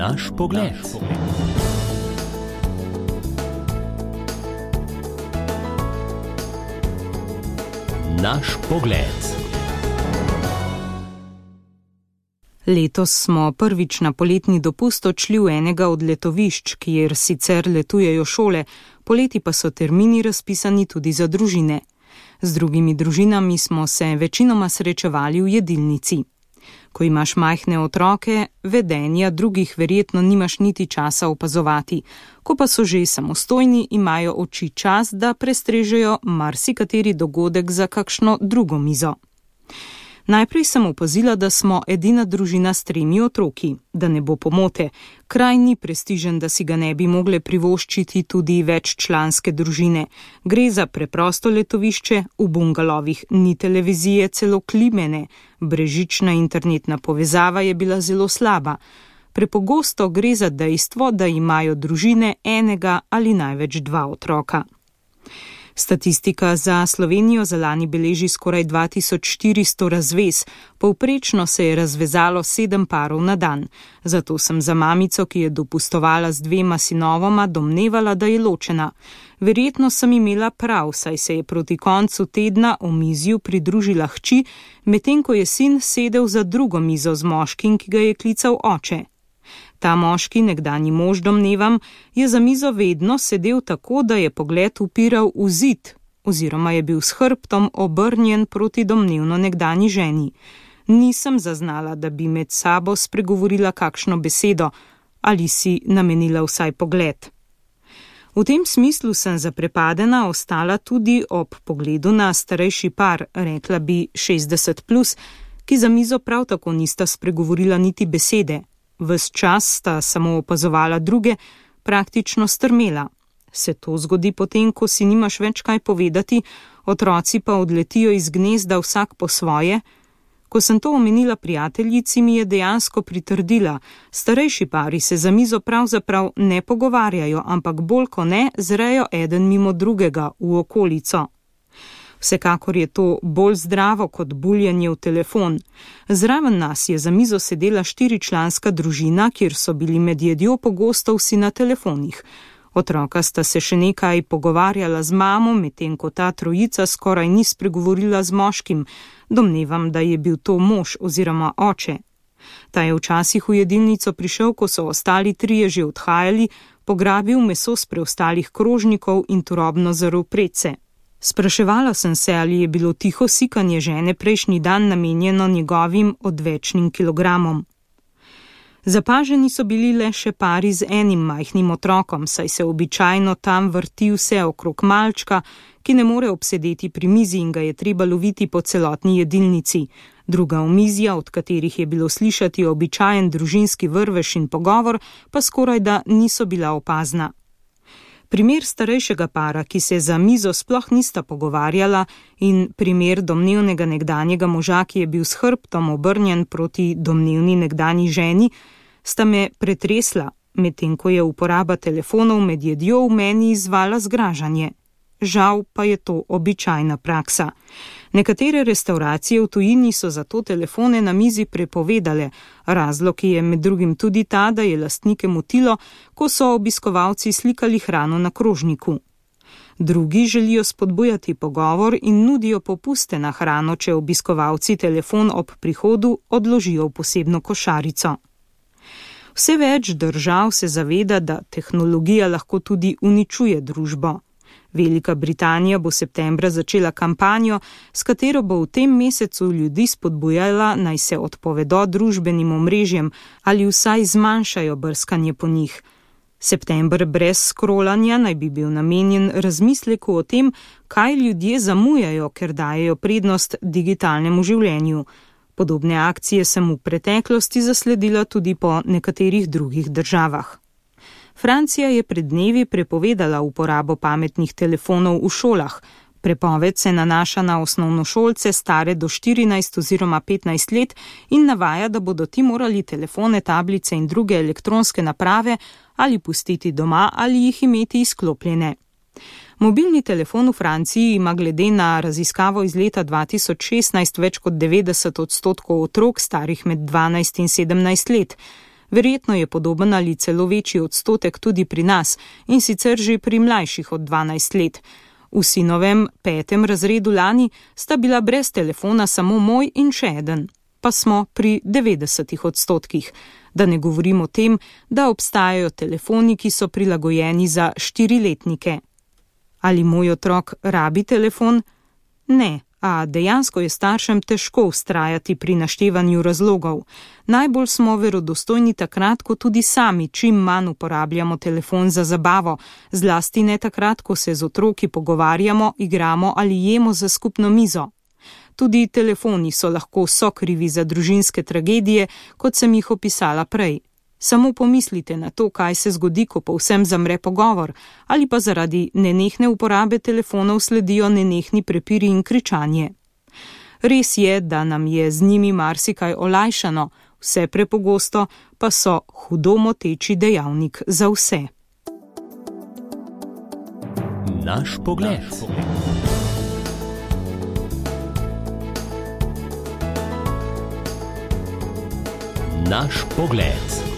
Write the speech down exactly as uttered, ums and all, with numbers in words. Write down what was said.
Naš pogled. Naš pogled. Letos smo prvič na poletni dopust odšli v enega od letovišč, kjer sicer letujejo šole, poleti pa so termini razpisani tudi za družine. Z drugimi družinami smo se večinoma srečevali v jedilnici. Ko imaš majhne otroke, vedenja drugih verjetno nimaš niti časa opazovati. Ko pa so že samostojni, imajo oči čas, da prestrežejo marsikateri dogodek za kakšno drugo mizo. Najprej sem opazila, da smo edina družina s tremi otroki, da ne bo pomote. Kraj ni prestižen, da si ga ne bi mogle privoščiti tudi veččlanske družine. Gre za preprosto letovišče, v bungalovih ni televizije, celo klime ne. Brežična internetna povezava je bila zelo slaba. Prepogosto gre za dejstvo, da imajo družine enega ali največ dva otroka. Statistika za Slovenijo za lani beleži skoraj dva tisoč štiristo razvez, povprečno se je razvezalo sedem parov na dan. Zato sem za mamico, ki je dopustovala z dvema sinovoma, domnevala, da je ločena. Verjetno sem imela prav, saj se je proti koncu tedna omizju pridružila hči, medtem ko je sin sedel za drugo mizo z moškim, ki ga je klical oče. Ta moški, nekdanji mož domnevam, je za mizo vedno sedel tako, da je pogled upiral v zid, oziroma je bil s hrbtom obrnjen proti domnevno nekdanji ženi. Nisem zaznala, da bi med sabo spregovorila kakšno besedo ali si namenila vsaj pogled. V tem smislu sem zaprepadena ostala tudi ob pogledu na starejši par, rekla bi šestdeset plus, ki za mizo prav tako nista spregovorila niti besede. Ves čas sta samo opazovala druge, praktično strmela. Se to zgodi potem, ko si nimaš več kaj povedati, otroci pa odletijo iz gnezda vsak po svoje? Ko sem to omenila prijateljici, mi je dejansko pritrdila. Starejši pari se za mizo pravzaprav ne pogovarjajo, ampak bolj ko ne zrejo eden mimo drugega v okolico. Vsekakor je to bolj zdravo kot buljanje v telefon. Zraven nas je za mizo sedela štiričlanska družina, kjer so bili med jedjo pogosto vsi na telefonih. Otroka sta se še nekaj pogovarjala z mamo, medtem ko ta trojica skoraj ni spregovorila z moškim. Domnevam, da je bil to mož oziroma oče. Ta je včasih v jedilnico prišel, ko so ostali trije že odhajali, pograbil meso s preostalih krožnikov in turobno zrl predse. Spraševala sem se, ali je bilo tiho sikanje žene prejšnji dan namenjeno njegovim odvečnim kilogramom. Zapaženi so bili le še pari z enim majhnim otrokom, saj se običajno tam vrti vse okrog malčka, ki ne more obsedeti pri mizi in ga je treba loviti po celotni jedilnici. Druga omizja, od katerih je bilo slišati običajen družinski vrvež in pogovor, pa skorajda niso bila opazna. Primer starejšega para, ki se za mizo sploh nista pogovarjala, in primer domnevnega nekdanjega moža, ki je bil s hrbtom obrnjen proti domnevni nekdanji ženi, sta me pretresla, medtem ko je uporaba telefonov med jedjo v meni izzvala zgražanje. Žal pa je to običajna praksa. Nekatere restavracije v tujini so zato telefone na mizi prepovedale. Razlog je med drugim tudi ta, da je lastnike motilo, ko so obiskovalci slikali hrano na krožniku. Drugi želijo spodbujati pogovor in nudijo popuste na hrano, če obiskovalci telefon ob prihodu odložijo v posebno košarico. Vse več držav se zaveda, da tehnologija lahko tudi uničuje družbo. Velika Britanija bo septembra začela kampanjo, s katero bo v tem mesecu ljudi spodbujala, naj se odpovedo družbenim omrežjem ali vsaj zmanjšajo brskanje po njih. September brez skrolanja naj bi bil namenjen razmisleku o tem, kaj ljudje zamujajo, ker dajejo prednost digitalnemu življenju. Podobne akcije sem v preteklosti zasledila tudi po nekaterih drugih državah. Francija je pred dnevi prepovedala uporabo pametnih telefonov v šolah. Prepoved se nanaša na osnovnošolce stare do štirinajst oziroma petnajst let in navaja, da bodo ti morali telefone, tablice in druge elektronske naprave ali pustiti doma ali jih imeti izklopljene. Mobilni telefon v Franciji ima glede na raziskavo iz leta dva tisoč šestnajst več kot devetdeset odstotkov otrok starih med dvanajst in sedemnajst let. Verjetno je podoben ali celo večji odstotek tudi pri nas, in sicer že pri mlajših od dvanajst let. V sinovem petem razredu lani sta bila brez telefona samo moj in še eden, pa smo pri devetdesetih odstotkih. Da ne govorim o tem, da obstajajo telefoni, ki so prilagojeni za štiriletnike. Ali moj otrok rabi telefon? Ne, a dejansko je staršem težko vztrajati pri naštevanju razlogov. Najbolj smo verodostojni takrat, ko tudi sami čim manj uporabljamo telefon za zabavo, zlasti ne takrat, ko se z otroki pogovarjamo, igramo ali jemo za skupno mizo. Tudi telefoni so lahko sokrivi za družinske tragedije, kot sem jih opisala prej. Samo pomislite na to, kaj se zgodi, ko povsem zamre pogovor, ali pa zaradi nenehne uporabe telefonov sledijo nenehni prepiri in kričanje. Res je, da nam je z njimi marsikaj olajšano, vse prepogosto pa so hudo moteči dejavnik za vse. Naš pogled. Naš pogled.